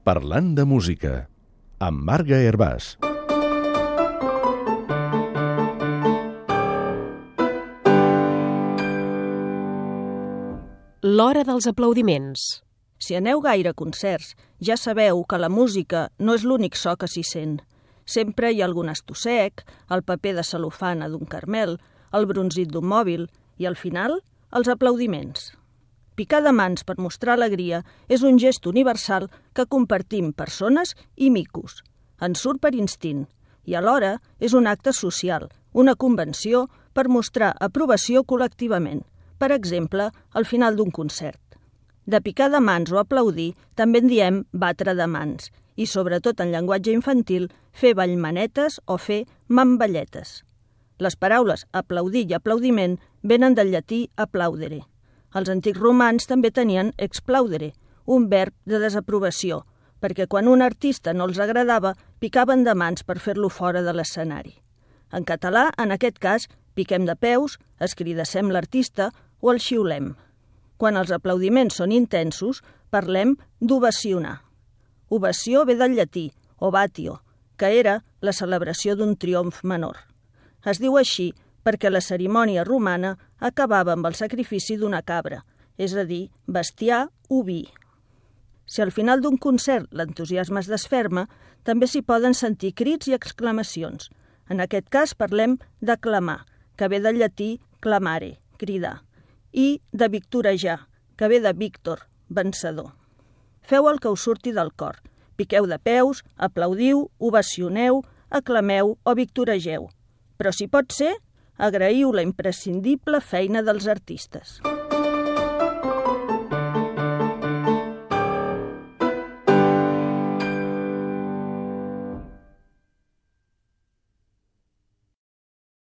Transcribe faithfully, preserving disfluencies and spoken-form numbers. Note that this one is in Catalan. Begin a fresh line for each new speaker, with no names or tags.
Parlant de música, amb Marga Hervàs.
L'hora dels aplaudiments.
Si aneu gaire a concerts, ja sabeu que la música no és l'únic so que s'hi sent. Sempre hi ha algun estossec, el paper de cel·lofana d'un carmel, el bronzit d'un mòbil i, al final, els aplaudiments. Picar de mans per mostrar alegria és un gest universal que compartim persones i micos. Ens surt per instint i alhora és un acte social, una convenció per mostrar aprovació col·lectivament, per exemple, al final d'un concert. De picar de mans o aplaudir també en diem batre de mans i, sobretot en llenguatge infantil, fer ballmanetes o fer mamballetes. Les paraules aplaudir i aplaudiment venen del llatí applaudere. Els antics romans també tenien explaudere, un verb de desaprovació, perquè quan un artista no els agradava, picaven de mans per fer-lo fora de l'escenari. En català, en aquest cas, piquem de peus, escridassem l'artista o el xiulem. Quan els aplaudiments són intensos, parlem d'ovacionar. Ovació ve del llatí, ovatio, que era la celebració d'un triomf menor. Es diu així perquè la cerimònia romana acabava amb el sacrifici d'una cabra, és a dir, bestiar oví. Si al final d'un concert l'entusiasme es desferma, també s'hi poden sentir crits i exclamacions. En aquest cas parlem de clamar, que ve del llatí clamare, cridar, i de victorejar, que ve de Víctor, vencedor. Feu el que us surti del cor. Piqueu de peus, aplaudiu, ovacioneu, aclameu o victoregeu. Però si pot ser, agraïu la imprescindible feina dels artistes.